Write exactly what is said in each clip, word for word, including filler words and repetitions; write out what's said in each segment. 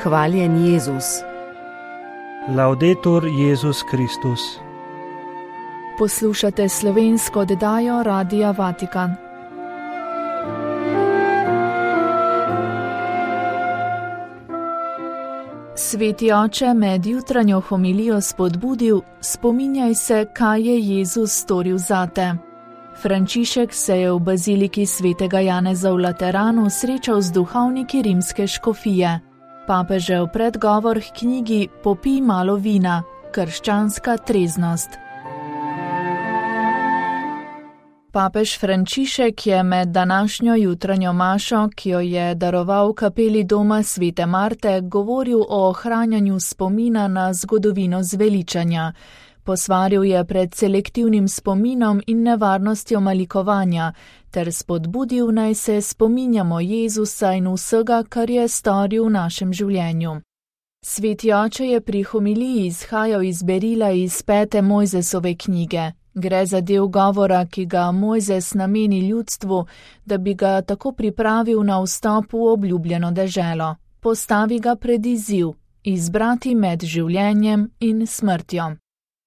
Hvaljen Jezus. Laudetur Jezus Kristus. Poslušate slovensko oddajo Radia Vatikan. Sveti oče med jutranjo homilijo spodbudil: spominjaj se, kaj je Jezus storil zate. Frančišek se je v baziliki svetega Janeza v Lateranu srečal z duhovniki rimske škofije. Papežev predgovor k knjigi Popij malo vina, krščanska treznost. Papež Frančišek je med današnjo jutranjo mašo, ki jo je daroval v kapeli doma svete Marte, govoril o ohranjanju spomina na zgodovino zveličanja. Posvaril je pred selektivnim spominom in nevarnostjo malikovanja, ter spodbudil, naj se spominjamo Jezusa in vsega, kar je storil v našem življenju. Sveti oče je pri homiliji izhajal iz berila iz pete Mojzesove knjige. Gre za del govora, ki ga Mojzes nameni ljudstvu, da bi ga tako pripravil na vstop v obljubljeno deželo. Postavi ga pred izziv: izbrati med življenjem in smrtjo.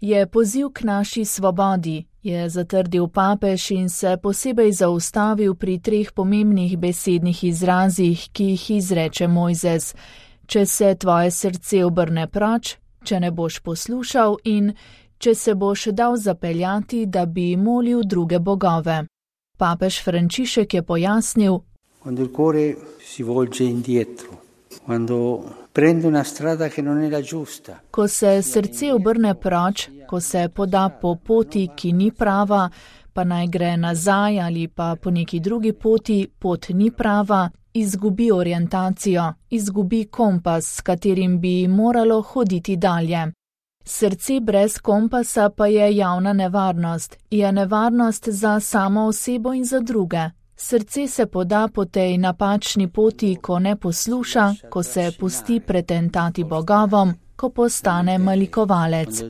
Je poziv k naši svobodi, je zatrdil papež in se posebej zaustavil pri treh pomembnih besednih izrazih, ki jih izreče Mojzes: če se tvoje srce obrne proč, če ne boš poslušal in če se boš dal zapeljati, da bi molil druge bogove. Papež Frančišek je pojasnil: Quando il cuore si volge indietro, quando prende una strada che non è la giusta. Ko se srce obrne proč, ko se poda po poti, ki ni prava, pa naj gre nazaj ali pa po neki drugi poti, pot ni prava, izgubi orientacijo, izgubi kompas, s katerim bi moralo hoditi dalje. Srce brez kompasa pa je javna nevarnost, je nevarnost za samo osebo in za druge. Srce se poda po tej napačni poti, ko ne posluša, ko se pusti pretentati bogovom, ko postane malikovalec.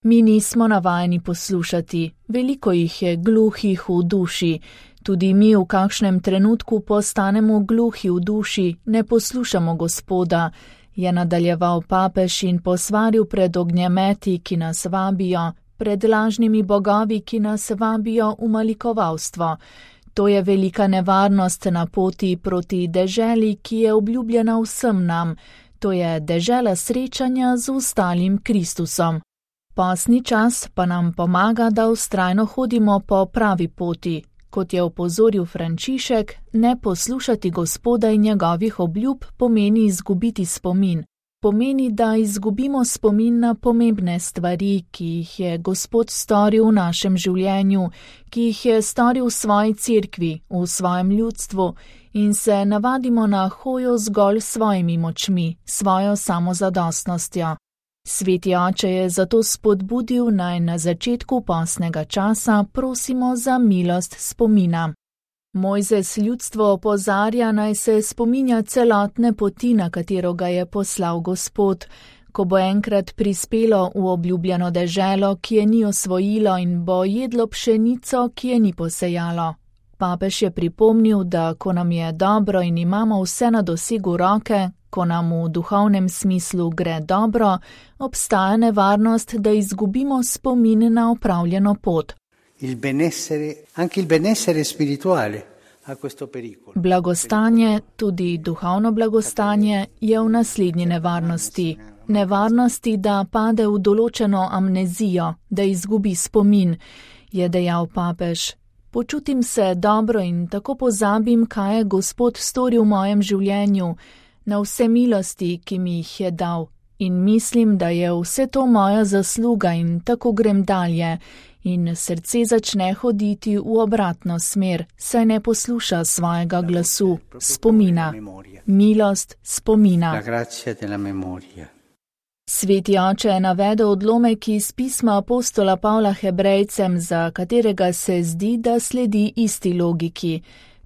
Mi nismo navajeni poslušati, veliko jih je gluhih v duši. Tudi mi v kakšnem trenutku postanemo gluhi v duši, ne poslušamo Gospoda, je nadaljeval papež in posvaril pred ognjemeti, ki nas vabijo, pred lažnimi bogovi, ki nas vabijo v malikovalstvo. To je velika nevarnost na poti proti deželi, ki je obljubljena vsem nam. To je dežela srečanja z ostalim Kristusom. Postni čas pa nam pomaga, da vztrajno hodimo po pravi poti. Kot je opozoril Frančišek, ne poslušati Gospoda in njegovih obljub pomeni izgubiti spomin. Pomeni, da izgubimo spomin na pomembne stvari, ki jih je Gospod storil v našem življenju, ki jih je storil v svoji cerkvi, v svojem ljudstvu, in se navadimo na hojo zgolj svojimi močmi, svojo samozadostnostjo. Sveti oče je zato spodbudil, naj na začetku postnega časa prosimo za milost spomina. Mojzes ljudstvo opozarja, naj se spominja celotne poti, na katero ga je poslal Gospod, ko bo enkrat prispelo v obljubljeno deželo, ki je ni osvojilo, in bo jedlo pšenico, ki je ni posejalo. Papež je pripomnil, da ko nam je dobro in imamo vse na dosegu roke, ko nam v duhovnem smislu gre dobro, obstaja nevarnost, da izgubimo spomin na opravljeno pot. Il benessere, anche il benessere spirituale ha questo pericolo. Blagostanje, tudi duhovno blagostanje, je v naslednji nevarnosti. Nevarnosti, da pade v določeno amnezijo, da izgubi spomin, je dejal papež. Počutim se dobro in tako pozabim, kaj je Gospod storil v mojem življenju, na vse milosti, ki mi jih je dal. In mislim, da je vse to moja zasluga in tako grem dalje. In srce začne hoditi v obratno smer, saj ne posluša svojega glasu, spomina. Milost spomina. Sveti oče je navedel odlomek iz pisma apostola Pavla Hebrejcem, za katerega se zdi, da sledi isti logiki.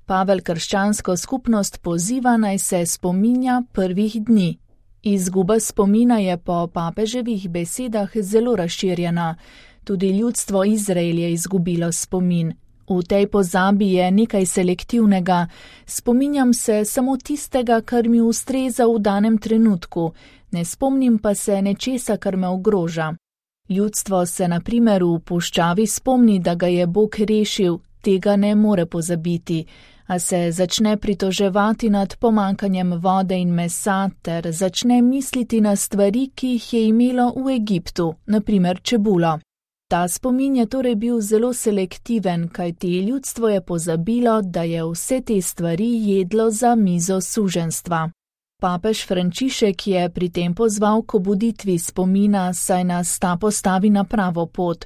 Pavel krščansko skupnost poziva, naj se spominja prvih dni. Izguba spomina je po papeževih besedah zelo razširjena. Tudi ljudstvo Izrael je izgubilo spomin. V tej pozabi je nekaj selektivnega, spominjam se samo tistega, kar mi ustreza v danem trenutku, ne spomnim pa se nečesa, kar me ogroža. Ljudstvo se na primer v puščavi spomni, da ga je Bog rešil, tega ne more pozabiti, a se začne pritoževati nad pomankanjem vode in mesa ter začne misliti na stvari, ki jih je imelo v Egiptu, na primer čebulo. Ta spomin je torej bil zelo selektiven, kajti ljudstvo je pozabilo, da je vse te stvari jedlo za mizo suženjstva. Papež Frančišek je pri tem pozval k obuditvi spomina, saj nas ta postavi na pravo pot.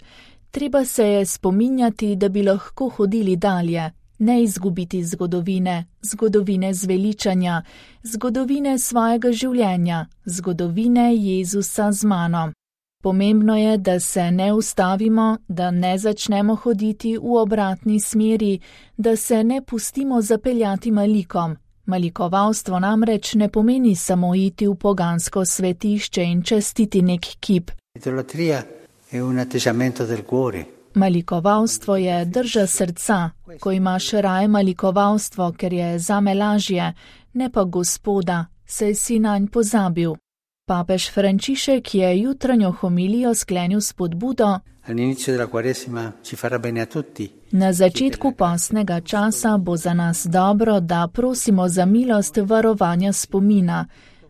Treba se je spominjati, da bi lahko hodili dalje, ne izgubiti zgodovine, zgodovine zveličanja, zgodovine svojega življenja, zgodovine Jezusa z mano. Pomembno je, da se ne ustavimo, da ne začnemo hoditi v obratni smeri, da se ne pustimo zapeljati malikom. Malikovalstvo namreč ne pomeni samo iti v pogansko svetišče in častiti nek kip. Malikovalstvo je drža srca, ko imaš raje malikovalstvo, ker je zame lažje, ne pa Gospoda, saj si nanj pozabil. Papež Frančišek je jutranjo homilijo sklenil s spodbudo: Na začetku postnega časa bo za nas dobro, da prosimo za milost varovanja spomina.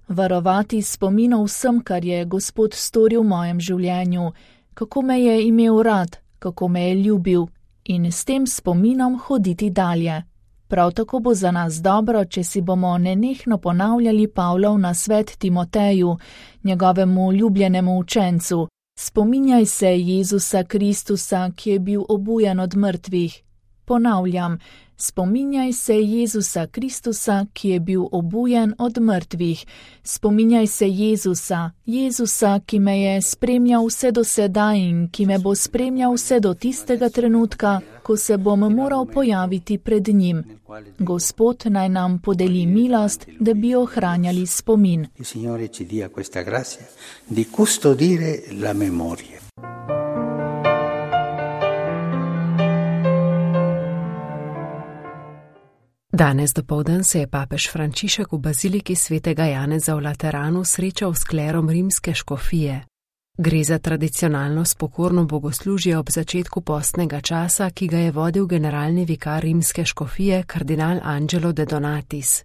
Varovati spomin o vsem, kar je Gospod storil v mojem življenju, kako me je imel rad, kako me je ljubil, in s tem spominom hoditi dalje. Prav tako bo za nas dobro, če si bomo nenehno ponavljali Pavlov nasvet Timoteju, njegovemu ljubljenemu učencu: Spominjaj se Jezusa Kristusa, ki je bil obujen od mrtvih. Ponavljam, spominjaj se Jezusa Kristusa, ki je bil obujen od mrtvih. Spominjaj se Jezusa, Jezusa, ki me je spremljal vse do sedaj in ki me bo spremljal vse do tistega trenutka, ko se bom moral pojaviti pred njim. Gospod naj nam podeli milost, da bi ohranjali spomin. Danes dopoldan se je papež Frančišek v baziliki svetega Janeza v Lateranu srečal s klerom rimske škofije. Gre za tradicionalno spokorno bogoslužje ob začetku postnega časa, ki ga je vodil generalni vikar rimske škofije kardinal Angelo de Donatis.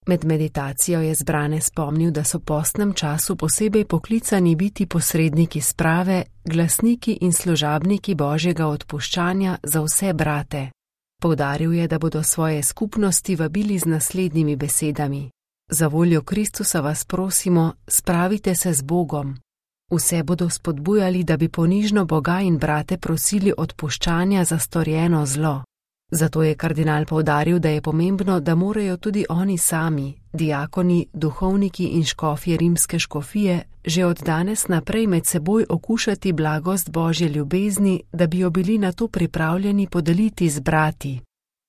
Med meditacijo je zbrane spomnil, da so v postnem času posebej poklicani biti posredniki sprave, glasniki in služabniki Božjega odpuščanja za vse brate. Poudaril je, da bodo svoje skupnosti vabili z naslednjimi besedami: Za voljo Kristusa vas prosimo, spravite se z Bogom. Vse bodo spodbujali, da bi ponižno Boga in brate prosili odpuščanja za storjeno zlo. Zato je kardinal poudaril, da je pomembno, da morajo tudi oni sami, diakoni, duhovniki in škofje rimske škofije, že od danes naprej med seboj okušati blagost Božje ljubezni, da bi jo bili na to pripravljeni podeliti z brati.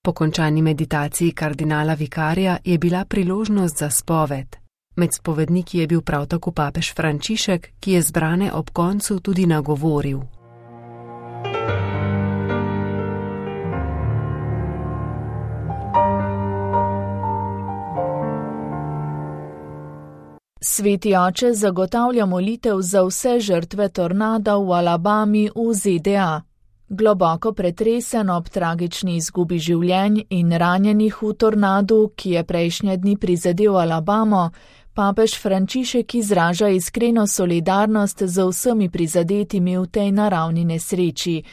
Po končani meditaciji kardinala vikarja je bila priložnost za spoved. Med spovedniki je bil prav tako papež Frančišek, ki je zbrane ob koncu tudi nagovoril. Sveti oče zagotavlja molitev za vse žrtve tornada v Alabami v Z D A. Globoko pretresen ob tragični izgubi življenj in ranjenih v tornadu, ki je prejšnje dni prizadel Alabamo, papež Frančišek izraža iskreno solidarnost z vsemi prizadetimi v tej naravni nesreči.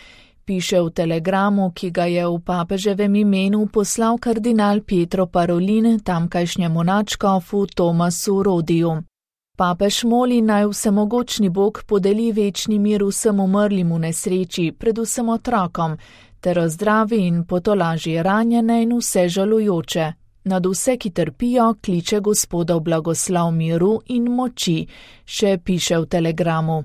Piše v telegramu, ki ga je v papeževem imenu poslal kardinal Pietro Parolin tamkajšnjemu nadškofu Tomasu Rodiju. Papež moli, naj vsemogočni Bog podeli večni mir vsem umrlim v nesreči, predvsem otrokom, ter ozdravi in potolaži ranjene in vse žalujoče. Nad vse, ki trpijo, kliče Gospodov blagoslov miru in moči, še piše v telegramu.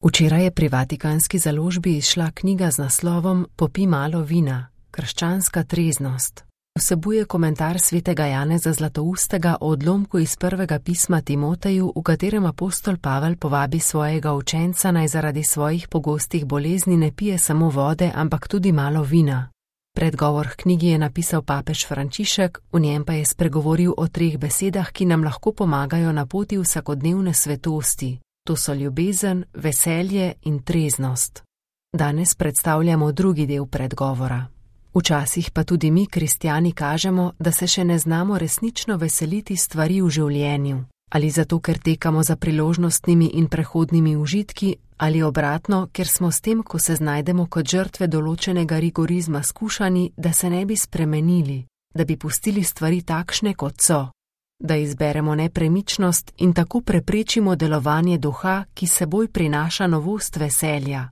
Včeraj je pri Vatikanski založbi izšla knjiga z naslovom Popij malo vina. krščanska treznost. Vsebuje komentar svetega Janeza Zlatoustega o odlomku iz prvega pisma Timoteju, v katerem apostol Pavel povabi svojega učenca, naj zaradi svojih pogostih bolezni ne pije samo vode, ampak tudi malo vina. Predgovor k knjigi je napisal papež Frančišek, v njem pa je spregovoril o treh besedah, ki nam lahko pomagajo na poti vsakodnevne svetosti. To so ljubezen, veselje in treznost. Danes predstavljamo drugi del predgovora. Včasih pa tudi mi, kristjani, kažemo, da se še ne znamo resnično veseliti stvari v življenju. Ali zato, ker tekamo za priložnostnimi in prehodnimi užitki, ali obratno, ker smo s tem, ko se znajdemo kot žrtve določenega rigorizma, skušani, da se ne bi spremenili, da bi pustili stvari takšne, kot so, da izberemo nepremičnost in tako preprečimo delovanje duha, ki seboj prinaša novost veselja.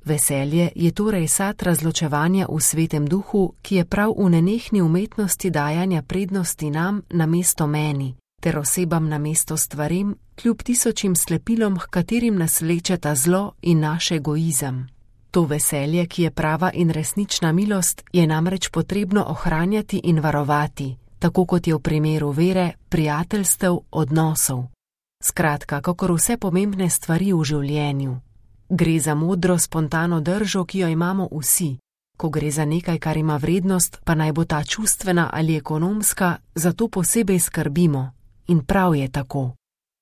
Veselje je torej sad razločevanja v svetem duhu, ki je prav v nenehni umetnosti dajanja prednosti nam namesto meni, ter osebam namesto stvarem, kljub tisočim slepilom, h katerim nas vlečeta zlo in naš egoizem. To veselje, ki je prava in resnična milost, je namreč potrebno ohranjati in varovati, tako kot je v primeru vere, prijateljstev, odnosov. Skratka, kakor vse pomembne stvari v življenju. Gre za modro, spontano držo, ki jo imamo vsi. Ko gre za nekaj, kar ima vrednost, pa naj bo ta čustvena ali ekonomska, zato posebej skrbimo. In prav je tako.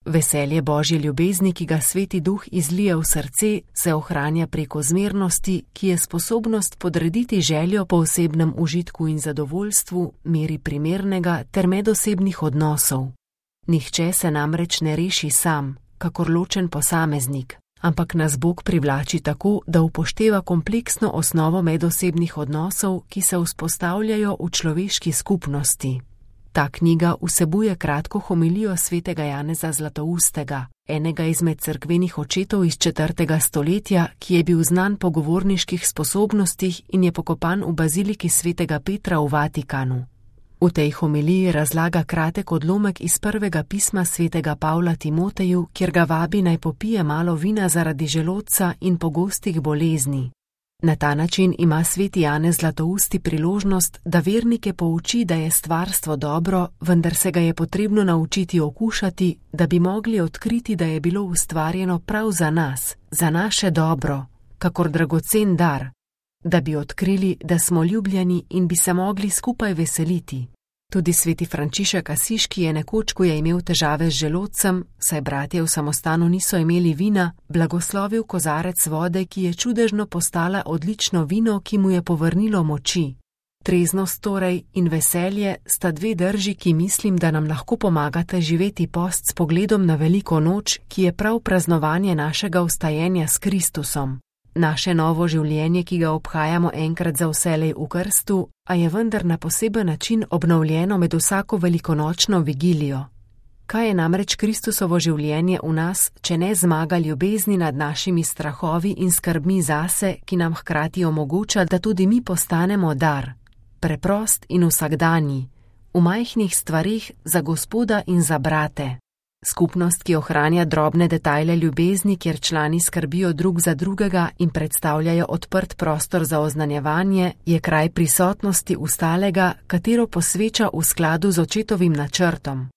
Veselje Božje ljubezni, ki ga Sveti Duh izlije v srce, se ohranja preko zmernosti, ki je sposobnost podrediti željo po osebnem užitku in zadovoljstvu, meri primernega ter medosebnih odnosov. Nihče se namreč ne reši sam, kakor ločen posameznik, ampak nas Bog privlači tako, da upošteva kompleksno osnovo medosebnih odnosov, ki se vzpostavljajo v človeški skupnosti. Ta knjiga vsebuje kratko homilijo svetega Janeza Zlatoustega, enega izmed cerkvenih očetov iz četrtega stoletja, ki je bil znan po govorniških sposobnostih in je pokopan v baziliki svetega Petra v Vatikanu. V tej homiliji razlaga kratek odlomek iz prvega pisma svetega Pavla Timoteju, kjer ga vabi naj popije malo vina zaradi želodca in pogostih bolezni. Na ta način ima sveti Janez Zlatousti priložnost, da vernike pouči, da je stvarstvo dobro, vendar se ga je potrebno naučiti okušati, da bi mogli odkriti, da je bilo ustvarjeno prav za nas, za naše dobro, kakor dragocen dar, da bi odkrili, da smo ljubljeni in bi se mogli skupaj veseliti. Tudi sveti Frančišek Asiški je nekoč, ko je imel težave z želodcem, saj bratje v samostanu niso imeli vina, blagoslovil kozarec vode, ki je čudežno postala odlično vino, ki mu je povrnilo moči. Treznost torej in veselje sta dve drži, ki mislim, da nam lahko pomagate živeti post s pogledom na veliko noč, ki je prav praznovanje našega vstajenja s Kristusom. Naše novo življenje, ki ga obhajamo enkrat za vselej v krstu, a je vendar na poseben način obnovljeno med vsako velikonočno vigilijo. Kaj je namreč Kristusovo življenje v nas, če ne zmaga ljubezni nad našimi strahovi in skrbmi zase, ki nam hkrati omogoča, da tudi mi postanemo dar, preprost in vsakdanji, v majhnih stvarih za Gospoda in za brate. Skupnost, ki ohranja drobne detajle ljubezni, kjer člani skrbijo drug za drugega in predstavljajo odprt prostor za oznanjevanje, je kraj prisotnosti ustalega, katero posveča v skladu z očetovim načrtom.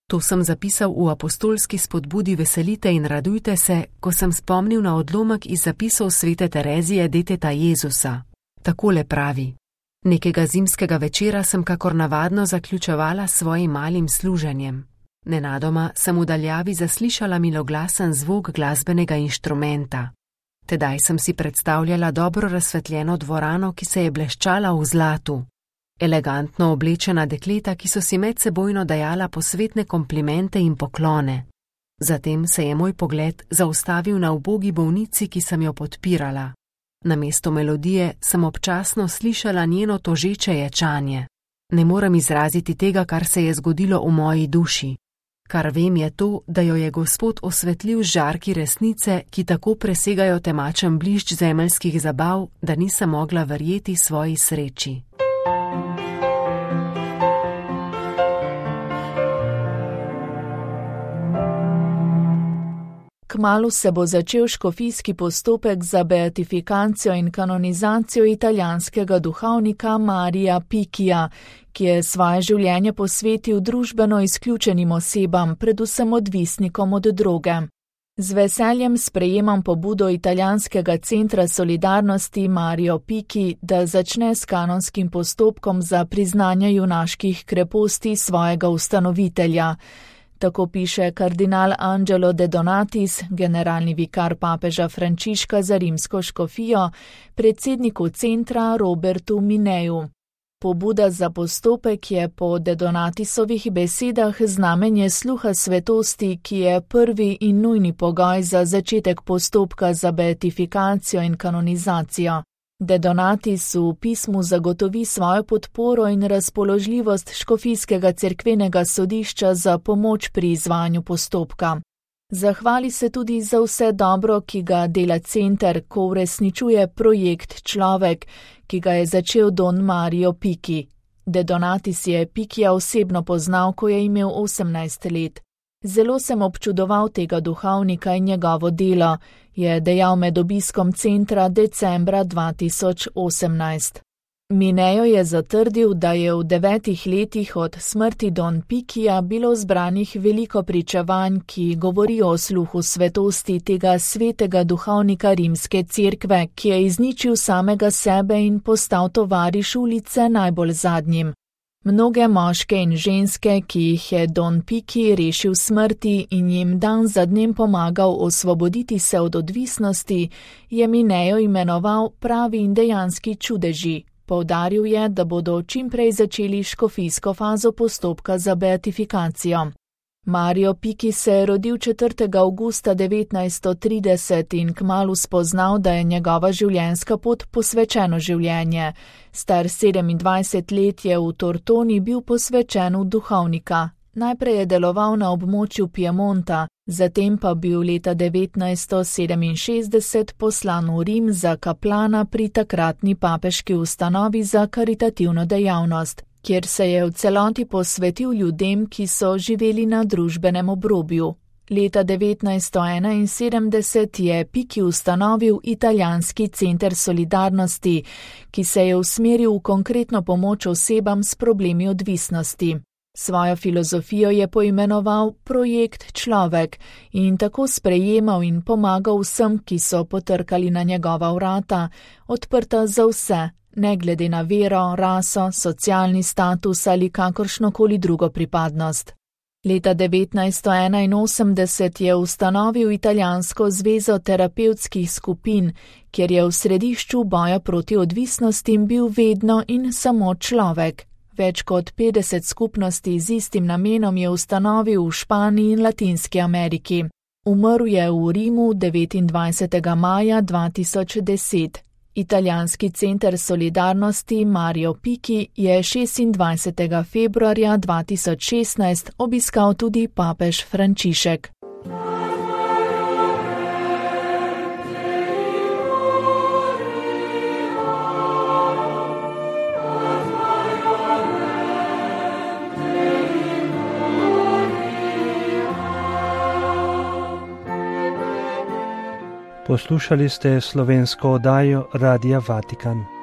To sem zapisal v apostolski spodbudi Veselite in radujte se, ko sem spomnil na odlomek iz zapisov svete Terezije deteta Jezusa. Takole pravi: Nekega zimskega večera sem kakor navadno zaključevala s svojim malim služenjem. Nenadoma sem v daljavi zaslišala miloglasen zvok glasbenega inštrumenta. Tedaj sem si predstavljala dobro razsvetljeno dvorano, ki se je bleščala v zlatu. Elegantno oblečena dekleta, ki so si medsebojno dajala posvetne komplimente in poklone. Zatem se je moj pogled zaustavil na ubogi bolnici, ki sem jo podpirala. Namesto melodije sem občasno slišala njeno tožeče ječanje. Ne morem izraziti tega, kar se je zgodilo v moji duši. Kar vem je to, da jo je Gospod osvetlil z žarki resnice, ki tako presegajo temačen blišč zemeljskih zabav, da nisem mogla verjeti svoji sreči. K kmalu se bo začel škofijski postopek za beatifikacijo in kanonizacijo italijanskega duhovnika Maria Pikija, ki je svoje življenje posvetil družbeno izključenim osebam, predvsem odvisnikom od droge. Z veseljem sprejemam pobudo italijanskega centra solidarnosti Mario Piki, da začne s kanonskim postopkom za priznanje junaških kreposti svojega ustanovitelja. Tako piše kardinal Angelo De Donatis, generalni vikar papeža Frančiška za rimsko škofijo, predsedniku centra Robertu Mineju. Pobuda za postopek je po De Donatisovih besedah znamenje sluha svetosti, ki je prvi in nujni pogoj za začetek postopka za beatifikacijo in kanonizacijo. De Donatis v pismu zagotovi svojo podporo in razpoložljivost škofijskega cerkvenega sodišča za pomoč pri izvajanju postopka. Zahvali se tudi za vse dobro, ki ga dela center, ko uresničuje projekt Človek, ki ga je začel Don Mario Piki. De Donatis je Pikija osebno poznal, ko je imel osemnajst let. Zelo sem občudoval tega duhovnika in njegovo delo, je dejal med obiskom centra decembra dva tisoč osemnajst. Minejo je zatrdil, da je v devetih letih od smrti Don Pikija bilo zbranih veliko pričevanj, ki govorijo o sluhu svetosti tega svetega duhovnika rimske cerkve, ki je izničil samega sebe in postal tovariš ulice najbolj zadnjim. Mnoge moške in ženske, ki jih je Don Piki rešil smrti in jim dan za dnem pomagal osvoboditi se od odvisnosti, je Minejo imenoval pravi in dejanski čudeži. Poudaril je, da bodo čimprej začeli škofijsko fazo postopka za beatifikacijo. Mario Piki se je rodil četrtega avgusta devetnajststo trideset in kmalu spoznal, da je njegova življenjska pot posvečeno življenje. Star sedemindvajset let je v Tortoni bil posvečen v duhovnika. Najprej je deloval na območju Piemonta, zatem pa bil leta devetnajststo sedeminšestdeset poslan v Rim za kaplana pri takratni papeški ustanovi za karitativno dejavnost, kjer se je v celoti posvetil ljudem, ki so živeli na družbenem obrobju. Leta devetnajststo enainsedemdeset je Piki ustanovil italijanski center solidarnosti, ki se je usmeril v konkretno pomoč osebam s problemi odvisnosti. Svojo filozofijo je poimenoval projekt Človek in tako sprejemal in pomagal vsem, ki so potrkali na njegova vrata, odprta za vse, ne glede na vero, raso, socialni status ali kakršnokoli drugo pripadnost. Leta devetnajststo enainosemdeset je ustanovil italijansko zvezo terapevtskih skupin, kjer je v središču boja proti odvisnostim bil vedno in samo človek. Več kot petdeset skupnosti z istim namenom je ustanovil v Španiji in Latinski Ameriki. Umrl je v Rimu devetindvajsetega maja dva tisoč deset. Italijanski center solidarnosti Mario Piki je šestindvajsetega februarja dva tisoč šestnajst obiskal tudi papež Frančišek. Poslušali ste slovensko oddajo Radia Vatikan.